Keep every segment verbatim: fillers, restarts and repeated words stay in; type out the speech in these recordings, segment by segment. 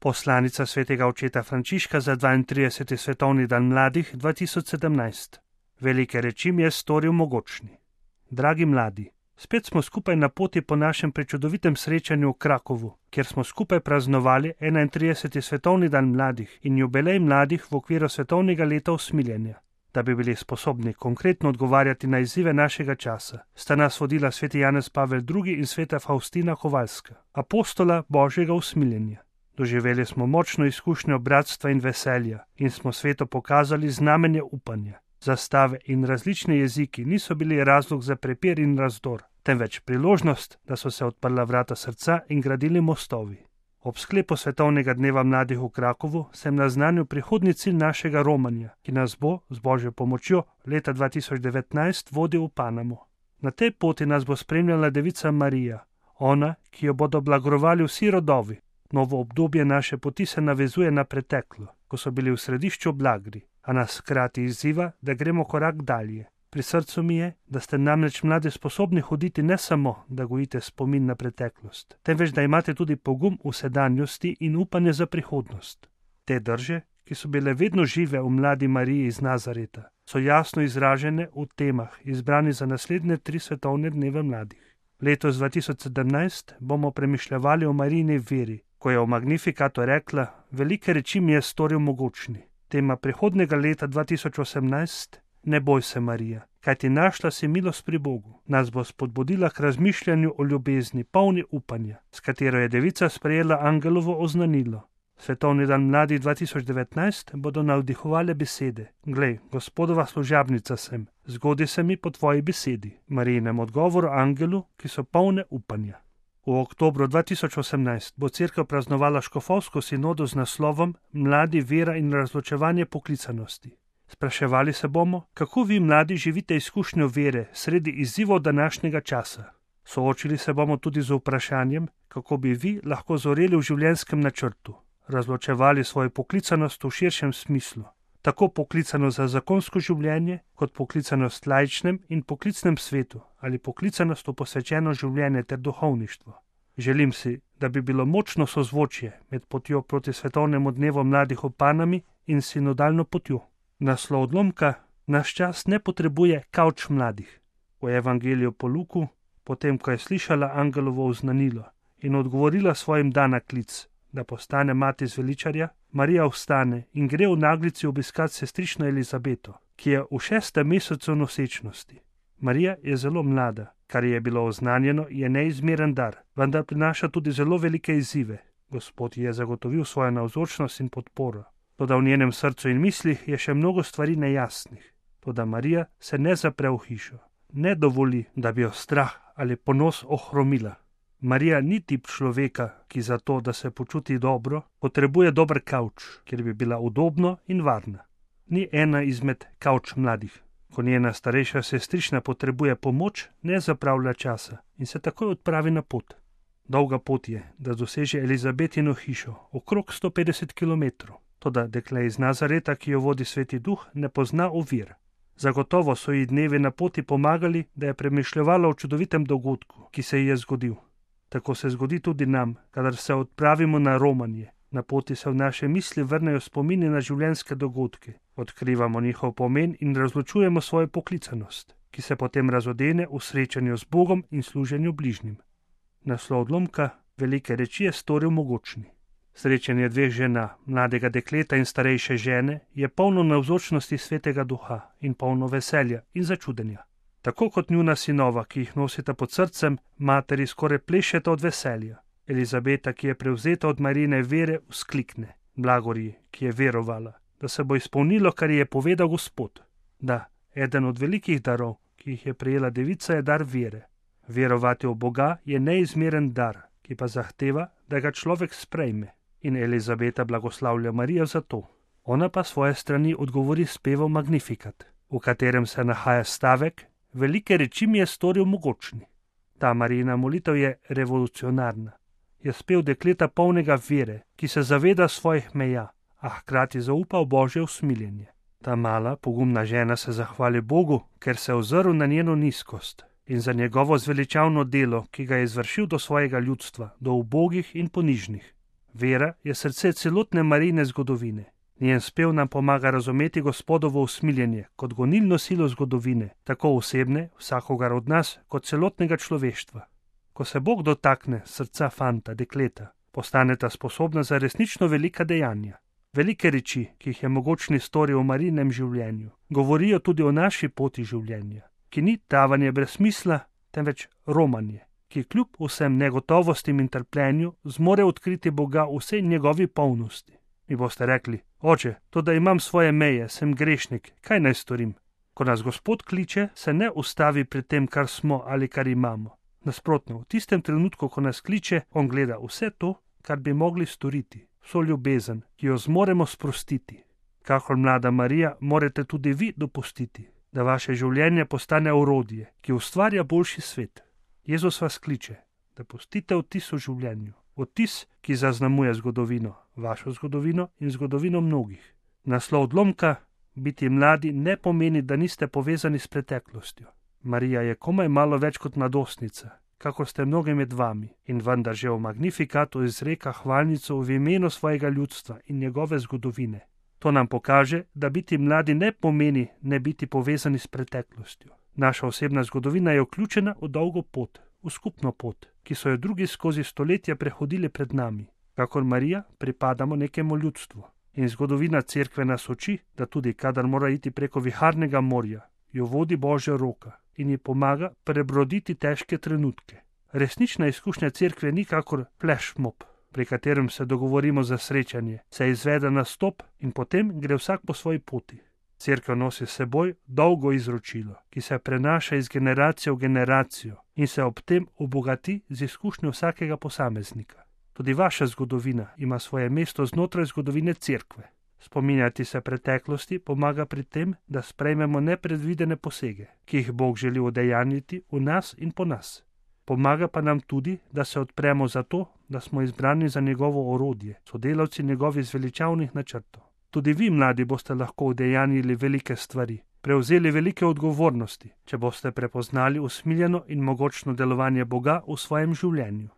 Poslanica svetega očeta Frančiška za dvaintrideseti svetovni dan mladih dva tisoč sedemnajst. Velike reči mi je storil mogočni. Dragi mladi, spet smo skupaj na poti po našem prečudovitem srečanju v Krakovu, kjer smo skupaj praznovali enaintrideseti svetovni dan mladih in jubilej mladih v okviru svetovnega leta usmiljenja. Da bi bili sposobni konkretno odgovarjati na izzive našega časa, sta nas vodila sveti Janez Pavel drugi in sveta Faustina Kovalska, apostola Božjega usmiljenja. Doživeli smo močno izkušnjo bratstva in veselja in smo svetu pokazali znamenje upanja. Zastave in različni jeziki niso bili razlog za prepir in razdor, temveč priložnost, da so se odprla vrata srca in gradili mostovi. Ob sklepu svetovnega dneva mladih v Krakovu sem naznanil prihodnji cilj našega romanja, ki nas bo, z Božjo pomočjo, leta dva tisoč devetnajst vodil v Panamo. Na tej poti nas bo spremljala devica Marija, ona, ki jo bodo blagrovali vsi rodovi. Novo obdobje naše poti se navezuje na preteklo, ko so bili v središču blagri, a nas hkrati izziva, da gremo korak dalje. Pri srcu mi je, da ste namreč mladi sposobni hoditi ne samo, da gojite spomin na preteklost, temveč da imate tudi pogum v sedanjosti in upanje za prihodnost. Te drže, ki so bile vedno žive v mladi Mariji iz Nazareta, so jasno izražene v temah, izbrani za naslednje tri svetovne dneve mladih. Letos dva tisoč sedemnajst bomo premišljevali o Marijini veri, ko je v Magnifikatu rekla: velike reči mi je storil mogočni. Tema prihodnega leta dva tisoč osemnajst: ne boj se, Marija, kajti našla si milost pri Bogu, nas bo spodbudila k razmišljanju o ljubezni, polni upanja, s katero je devica sprejela angelovo oznanilo. Svetovni dan mladih dva tisoč devetnajst bodo navdihovale besede: glej, Gospodova služabnica sem, zgodi se mi po tvoji besedi, Marijinem odgovoru angelu, ki so polne upanja. V oktobru dva tisoč osemnajst bo cerkev praznovala škofovsko sinodo z naslovom Mladi, vera in razločevanje poklicanosti. Spraševali se bomo, kako vi mladi živite izkušnjo vere sredi izzivov današnjega časa. Soočili se bomo tudi z vprašanjem, kako bi vi lahko zoreli v življenjskem načrtu, razločevali svojo poklicanost v širšem smislu, tako poklicano za zakonsko življenje, kot poklicanost v laičnem in poklicnem svetu ali poklicanost v posvečeno življenje ter duhovništvo. Želim si, da bi bilo močno sozvočje med potjo proti svetovnemu dnevu mladih v Panami in sinodalno potjo. Naslov odlomka: naš čas ne potrebuje kavč mladih. V evangeliju po Luku, potem ko je slišala angelovo oznanilo in odgovorila svojim da na klic, da postane mati zveličarja, Marija vstane in gre v naglici obiskat sestrično Elizabeto, ki je v šestem mesecu nosečnosti. Marija je zelo mlada, kar je bilo oznanjeno, je neizmeren dar, vendar prinaša tudi zelo velike izzive. Gospod ji je zagotovil svojo navzočnost in podporo. Toda v njenem srcu in mislih je še mnogo stvari nejasnih. Toda Marija se ne zapre v hišo, ne dovoli, da bi jo strah ali ponos ohromila. Marija ni tip človeka, ki za to, da se počuti dobro, potrebuje dober kavč, kjer bi bila udobno in varna. Ni ena izmed kavč mladih. Ko njena starejša sestrična potrebuje pomoč, ne zapravlja časa in se takoj odpravi na pot. Dolga pot je, da doseže Elizabetino hišo, okrog sto petdeset kilometrov. Toda dekle iz Nazareta, ki jo vodi Sveti Duh, ne pozna ovir. Zagotovo so ji dnevi na poti pomagali, da je premišljevala o čudovitem dogodku, ki se ji je zgodil. Tako se zgodi tudi nam, kadar se odpravimo na romanje. Na poti se v naše misli vrnejo spomini na življenjske dogodke, odkrivamo njihov pomen in razločujemo svojo poklicanost, ki se potem razodene v srečanju z Bogom in služenju bližnjim. Naslov odlomka: velike reči je storil mogočni. Srečanje dveh žena, mladega dekleta in starejše žene, je polno navzočnosti Svetega Duha in polno veselja in začudenja. Tako kot njuna sinova, ki jih nosita pod srcem, materi skoraj plešeta od veselja. Elizabeta, ki je prevzeta od Marijine vere, vzklikne: blagorji, ki je verovala, da se bo izpolnilo, kar ji je povedal Gospod. Da, eden od velikih darov, ki jih je prejela devica, je dar vere. Verovati v Boga je neizmeren dar, ki pa zahteva, da ga človek sprejme. In Elizabeta blagoslavlja Marijo za to. Ona pa svoje strani odgovori s pevom Magnifikat, v katerem se nahaja stavek: velike reči mi je storil mogočni. Ta Marijina molitev je revolucionarna. Je spev dekleta polnega vere, ki se zaveda svojih meja, a hkrati zaupa v Božje usmiljenje. Ta mala, pogumna žena se zahvali Bogu, ker se je ozrl na njeno nizkost in za njegovo zveličavno delo, ki ga je izvršil do svojega ljudstva, do ubogih in ponižnih. Vera je srce celotne Marijine zgodovine. Njen spev nam pomaga razumeti Gospodovo usmiljenje kot gonilno silo zgodovine, tako osebne, vsakogar od nas, kot celotnega človeštva. Ko se Bog dotakne srca fanta, dekleta, postaneta sposobna za resnično velika dejanja. Velike reči, ki jih je mogočni storil v Marijinem življenju, govorijo tudi o naši poti življenja, ki ni tavanje brez smisla, temveč romanje, ki kljub vsem negotovostim in trpljenju zmore odkriti Boga v vsej njegovi polnosti. Mi boste rekli: Oče, to da imam svoje meje, sem grešnik, kaj naj storim? Ko nas Gospod kliče, se ne ustavi pri tem, kar smo ali kar imamo. Nasprotno, v tistem trenutku, ko nas kliče, on gleda vse to, kar bi mogli storiti, vso ljubezen, ki jo zmoremo sprostiti. Kakor mlada Marija, morate tudi vi dopustiti, da vaše življenje postane orodje, ki ustvarja boljši svet. Jezus vas kliče, da pustite vtis v življenju, vtis, ki zaznamuje zgodovino, vašo zgodovino in zgodovino mnogih. Naslov odlomka: biti mladi ne pomeni, da niste povezani s preteklostjo. Marija je komaj malo več kot mladostnica, kakor ste mnogi med vami, in vendar že v Magnifikatu izreka hvalnico v imenu svojega ljudstva in njegove zgodovine. To nam pokaže, da biti mladi ne pomeni ne biti povezani s preteklostjo. Naša osebna zgodovina je vključena v dolgo pot, v skupno pot, ki so jo drugi skozi stoletja prehodili pred nami. Kakor Marija, pripadamo nekemu ljudstvu. In zgodovina cerkve nas uči, da tudi kadar mora iti preko viharnega morja, jo vodi Božja roka in ji pomaga prebroditi težke trenutke. Resnična izkušnja cerkve ni kakor flash mob, pri katerem se dogovorimo za srečanje, se izvede nastop in potem gre vsak po svoji poti. Cerkev nosi s seboj dolgo izročilo, ki se prenaša iz generacije v generacijo in se ob tem obogati z izkušnjo vsakega posameznika. Tudi vaša zgodovina ima svoje mesto znotraj zgodovine cerkve. Spominjati se preteklosti pomaga pri tem, da sprejmemo nepredvidene posege, ki jih Bog želi udejanjiti v nas in po nas. Pomaga pa nam tudi, da se odpremo za to, da smo izbrani za njegovo orodje, sodelavci njegovih zveličavnih načrtov. Tudi vi, mladi, boste lahko udejanjili velike stvari, prevzeli velike odgovornosti, če boste prepoznali usmiljeno in mogočno delovanje Boga v svojem življenju.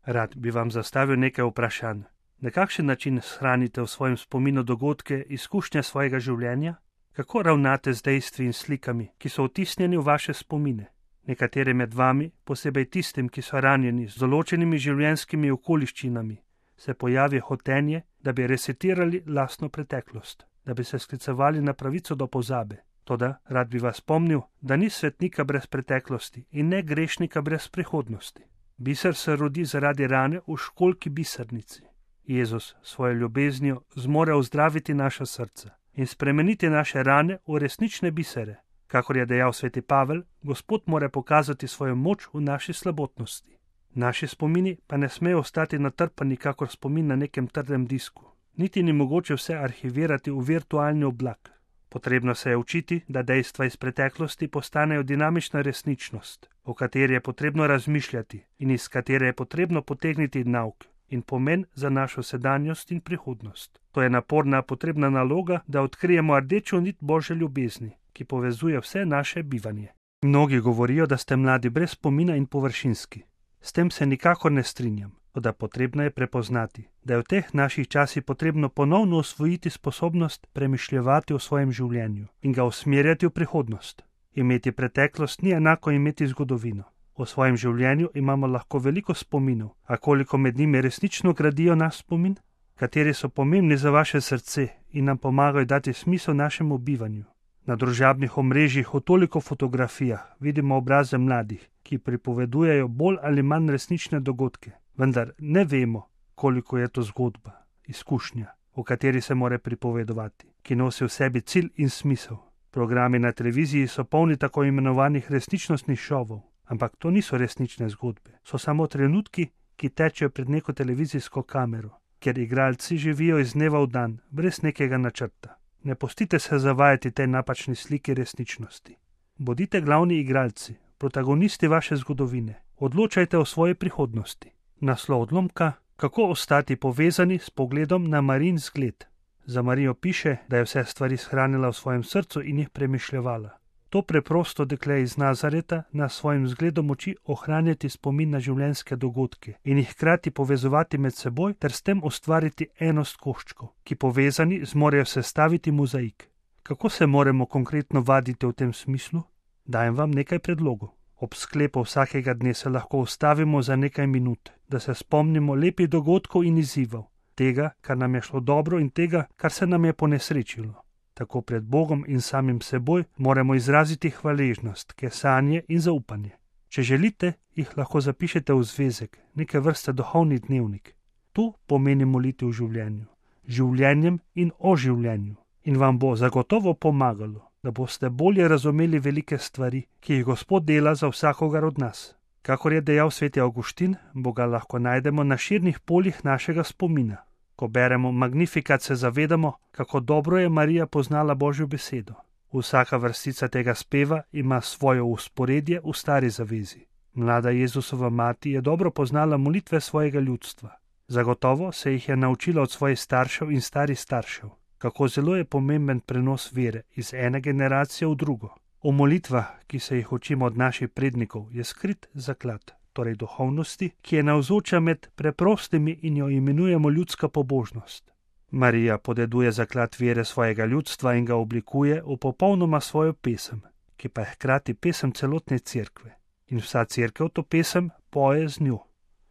Rad bi vam zastavil nekaj vprašanj. Na kakšen način shranite v svojem spominu dogodke, izkušnje svojega življenja? Kako ravnate z dejstvi in slikami, ki so vtisnjeni v vaše spomine? Nekateri med vami, posebej tistim, ki so ranjeni z določenimi življenjskimi okoliščinami, se pojavi hotenje, da bi resetirali lastno preteklost, da bi se sklicevali na pravico do pozabe. Toda rad bi vas spomnil, da ni svetnika brez preteklosti in ne grešnika brez prihodnosti. Biser se rodi zaradi rane v školjki bisernici. Jezus svojo ljubeznijo zmore ozdraviti naša srca in spremeniti naše rane v resnične bisere. Kakor je dejal sveti Pavel, Gospod mora pokazati svojo moč v naši slabotnosti. Naši spomini pa ne smejo ostati natrpani kakor spomin na nekem trdem disku. Niti ni mogoče vse arhivirati v virtualni oblak. Potrebno se je učiti, da dejstva iz preteklosti postanejo dinamična resničnost, o kateri je potrebno razmišljati in iz katere je potrebno potegniti nauk in pomen za našo sedanjost in prihodnost. To je naporna potrebna naloga, da odkrijemo rdečo nit Božje ljubezni, ki povezuje vse naše bivanje. Mnogi govorijo, da ste mladi brez spomina in površinski. S tem se nikakor ne strinjam, toda potrebno je prepoznati, da je v teh naših časih potrebno ponovno osvojiti sposobnost premišljevati o svojem življenju in ga usmerjati v prihodnost. Imeti preteklost ni enako imeti zgodovino. O svojem življenju imamo lahko veliko spominov, a koliko med njimi resnično gradijo naš spomin? Kateri so pomembni za vaše srce in nam pomagajo dati smisel našemu bivanju? Na družabnih omrežjih v toliko fotografijah vidimo obraze mladih, ki pripovedujejo bolj ali manj resnične dogodke, vendar ne vemo, koliko je to zgodba, izkušnja, o kateri se mora pripovedovati, ki nosi v sebi cilj in smisel. Programi na televiziji so polni tako imenovanih resničnostnih šovov, ampak to niso resnične zgodbe, so samo trenutki, ki tečejo pred neko televizijsko kamero, kjer igralci živijo iz dneva v dan, brez nekega načrta. Ne pustite se zavajati tej napačni sliki resničnosti. Bodite glavni igralci, protagonisti vaše zgodovine. Odločajte o svoji prihodnosti. Naslov odlomka: kako ostati povezani s pogledom na Marijin zgled. Za Marijo piše, da je vse stvari shranila v svojem srcu in jih premišljevala. To preprosto dekle iz Nazareta nas svojim zgledom uči ohranjati spomin na življenjske dogodke in jih hkrati povezovati med seboj ter s tem ustvariti enost koščkov, ki povezani zmorejo sestaviti mozaik. Kako se moramo konkretno vaditi v tem smislu? Dajem vam nekaj predlogov. Ob sklepu vsakega dne se lahko ustavimo za nekaj minut, da se spomnimo lepih dogodkov in izzivov, tega, kar nam je šlo dobro in tega, kar se nam je ponesrečilo. Tako pred Bogom in samim seboj moramo izraziti hvaležnost, kesanje in zaupanje. Če želite, jih lahko zapišete v zvezek, neke vrste duhovni dnevnik. To pomeni molitev v življenju, življenjem in o življenju. In vam bo zagotovo pomagalo, da boste bolje razumeli velike stvari, ki jih Gospod dela za vsakogar od nas. Kakor je dejal sveti Avguštin, Boga lahko najdemo na širnih poljih našega spomina. Ko beremo Magnificat, se zavedamo, kako dobro je Marija poznala Božjo besedo. Vsaka vrstica tega speva ima svojo vzporedje v stari zavezi. Mlada Jezusova mati je dobro poznala molitve svojega ljudstva. Zagotovo se jih je naučila od svojih staršev in starih staršev. Kako zelo je pomemben prenos vere iz ene generacije v drugo. V molitvah, ki se jih učimo od naših prednikov, je skrit zaklad, torej duhovnosti, ki je navzoča med preprostimi in jo imenujemo ljudska pobožnost. Marija podeduje zaklad vere svojega ljudstva in ga oblikuje v popolnoma svojo pesem, ki pa je hkrati pesem celotne cerkve. In vsa cerkev to pesem poje z njo.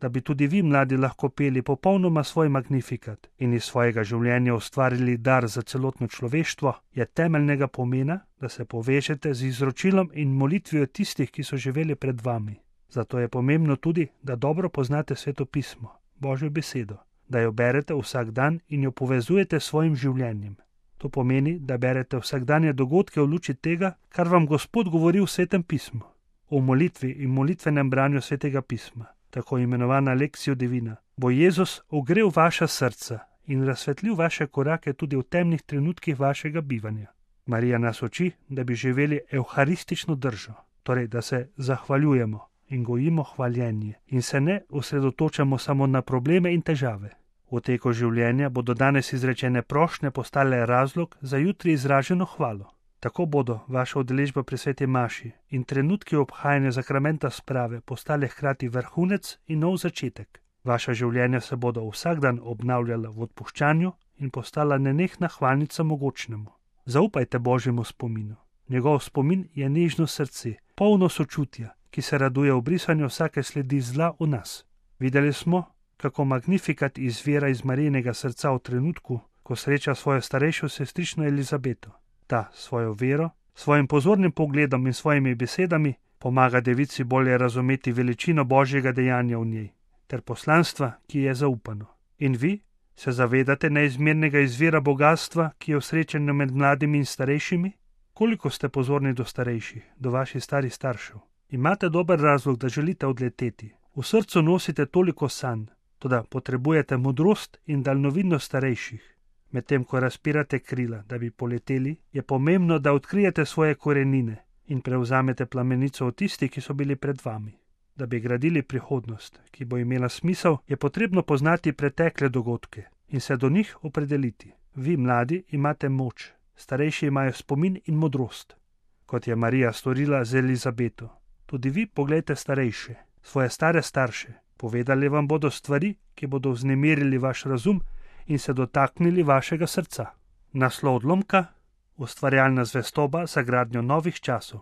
Da bi tudi vi, mladi, lahko peli popolnoma svoj Magnificat in iz svojega življenja ustvarili dar za celotno človeštvo, je temeljnega pomena, da se povežete z izročilom in molitvijo tistih, ki so živeli pred vami. Zato je pomembno tudi, da dobro poznate Sveto pismo, Božjo besedo, da jo berete vsak dan in jo povezujete s svojim življenjem. To pomeni, da berete vsakdanje dogodke v luči tega, kar vam Gospod govori v Svetem pismu. V molitvi in molitvenem branju Svetega pisma, tako imenovana Lectio Divina, bo Jezus ogrel vaša srca in razsvetlil vaše korake tudi v temnih trenutkih vašega bivanja. Marija nas uči, da bi živeli evharistično držo, torej da se zahvaljujemo in gojimo hvaljenje in se ne osredotočamo samo na probleme in težave. V teku življenja bodo danes izrečene prošnje postale razlog za jutri izraženo hvalo. Tako bodo vaša udeležba pri sveti maši in trenutki obhajanja zakramenta sprave postale hkrati vrhunec in nov začetek. Vaša življenja se bodo vsak dan obnavljala v odpuščanju in postala nenehna hvalnica mogočnemu. Zaupajte Božjemu spominu. Njegov spomin je nežno srce, polno sočutja, ki se raduje v brisanju vsake sledi zla v nas. Videli smo, kako Magnificat izvira iz Marijinega srca v trenutku, ko sreča svojo starejšo sestrično Elizabeto. Ta svojo vero, svojim pozornim pogledom in svojimi besedami pomaga devici bolje razumeti veličino Božjega dejanja v njej ter poslanstva, ki je zaupano. In vi se zavedate neizmernega izvira bogatstva, ki je v srečanju med mladimi in starejšimi? Koliko ste pozorni do starejših, do vaših starih staršev? Imate dober razlog, da želite odleteti. V srcu nosite toliko sanj, toda potrebujete modrost in daljnovidnost starejših. Medtem ko razpirate krila, da bi poleteli, je pomembno, da odkrijete svoje korenine in prevzamete plamenico od tistih, ki so bili pred vami. Da bi gradili prihodnost, ki bo imela smisel, je potrebno poznati pretekle dogodke in se do njih opredeliti. Vi, mladi, imate moč, starejši imajo spomin in modrost, kot je Marija storila z Elizabeto. Tudi vi poglejte starejše, svoje stare starše. Povedali vam bodo stvari, ki bodo vznemirili vaš razum in se dotaknili vašega srca. Naslov odlomka: Ustvarjalna zvestoba za gradnjo novih časov.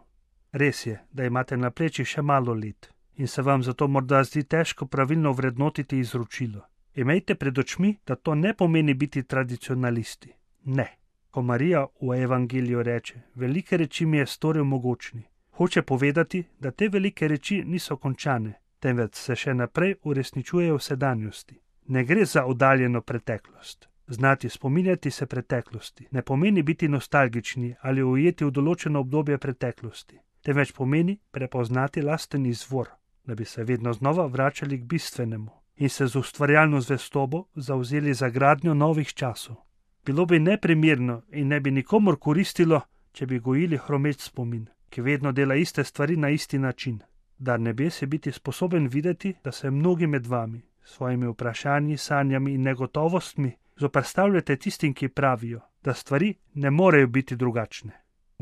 Res je, da imate na plečih še malo let in se vam zato morda zdi težko pravilno vrednotiti izročilo. Imejte pred očmi, da to ne pomeni biti tradicionalisti. Ne. Ko Marija v evangeliju reče, velike reči mi je storil mogočni, hoče povedati, da te velike reči niso končane, temveč se še naprej uresničujejo v sedanjosti. Ne gre za oddaljeno preteklost. Znati spominjati se preteklosti ne pomeni biti nostalgični ali ujeti v določeno obdobje preteklosti, temveč pomeni prepoznati lasten izvor, da bi se vedno znova vračali k bistvenemu in se z ustvarjalno zvestobo zavzeli za gradnjo novih časov. Bilo bi neprimerno in ne bi nikomor koristilo, če bi gojili hromeč spomin, ki vedno dela iste stvari na isti način. Dar nebes je biti sposoben videti, da se mnogi med vami s svojimi vprašanji, sanjami in negotovostmi zoperstavljate tistim, ki pravijo, da stvari ne morejo biti drugačne.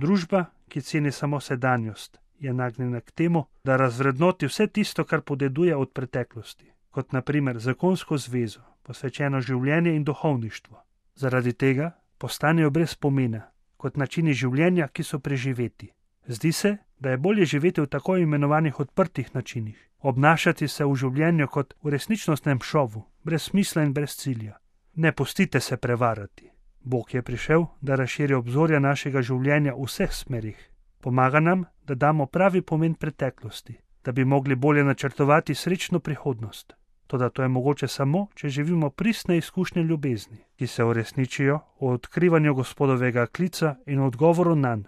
Družba, ki ceni samo sedanjost, je nagnjena k temu, da razvrednoti vse tisto, kar podeduje od preteklosti, kot naprimer zakonsko zvezo, posvečeno življenje in duhovništvo. Zaradi tega postanejo brez pomena, kot načini življenja, ki so preživeti. Zdi se, da je bolje živeti v tako imenovanih odprtih načinih, obnašati se v življenju kot v resničnostnem šovu, brez smisla in brez cilja. Ne pustite se prevarati. Bog je prišel, da razširi obzorja našega življenja v vseh smerih. Pomaga nam, da damo pravi pomen preteklosti, da bi mogli bolje načrtovati srečno prihodnost. Toda to je mogoče samo, če živimo pristne izkušnje ljubezni, ki se uresničijo v odkrivanju Gospodovega klica in odgovoru nanj.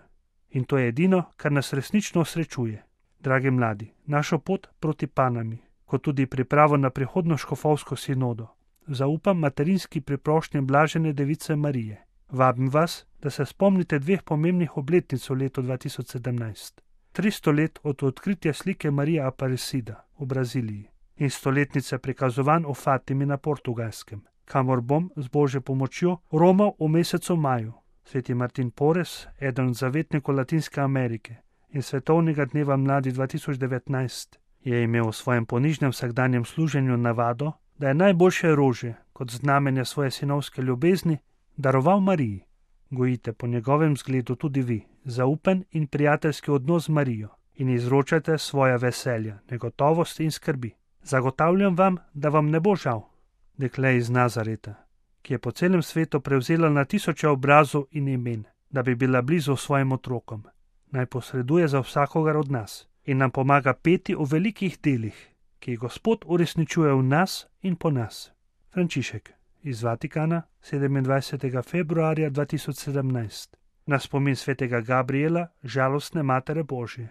In to je edino, kar nas resnično osrečuje. Dragi mladi, našo pot proti Panami, kot tudi pripravo na prihodno škofovsko sinodo, zaupam materinski priprošnji blažene device Marije. Vabim vas, da se spomnite dveh pomembnih obletnic v letu dva tisoč sedemnajst. tristo let od odkritja slike Marije Aparecida v Braziliji in stoletnice prikazovanj o Fatimi na Portugalskem, kamor bom z Božjo pomočjo romal v mesecu maju. Sveti Martin Porres, eden od zavetnikov Latinske Amerike in svetovnega dneva mladi dva tisoč devetnajst, je imel v svojem ponižnem vsakdanjem služenju navado, da je najboljše orožje, kot znamenje svoje sinovske ljubezni, daroval Mariji. Gojite po njegovem zgledu tudi vi zaupen in prijateljski odnos z Marijo in izročajte svoja veselja, negotovosti in skrbi. Zagotavljam vam, da vam ne bo žal. Dekle iz Nazareta, ki je po celem svetu prevzela na tisoče obrazov in imen, da bi bila blizu svojim otrokom, naj posreduje za vsakogar od nas in nam pomaga peti v velikih delih, ki jih Gospod uresničuje v nas in po nas. Frančišek iz Vatikana, sedemindvajsetega februarja dva tisoč sedemnajst, na spomin svetega Gabriela, žalostne Matere Božje.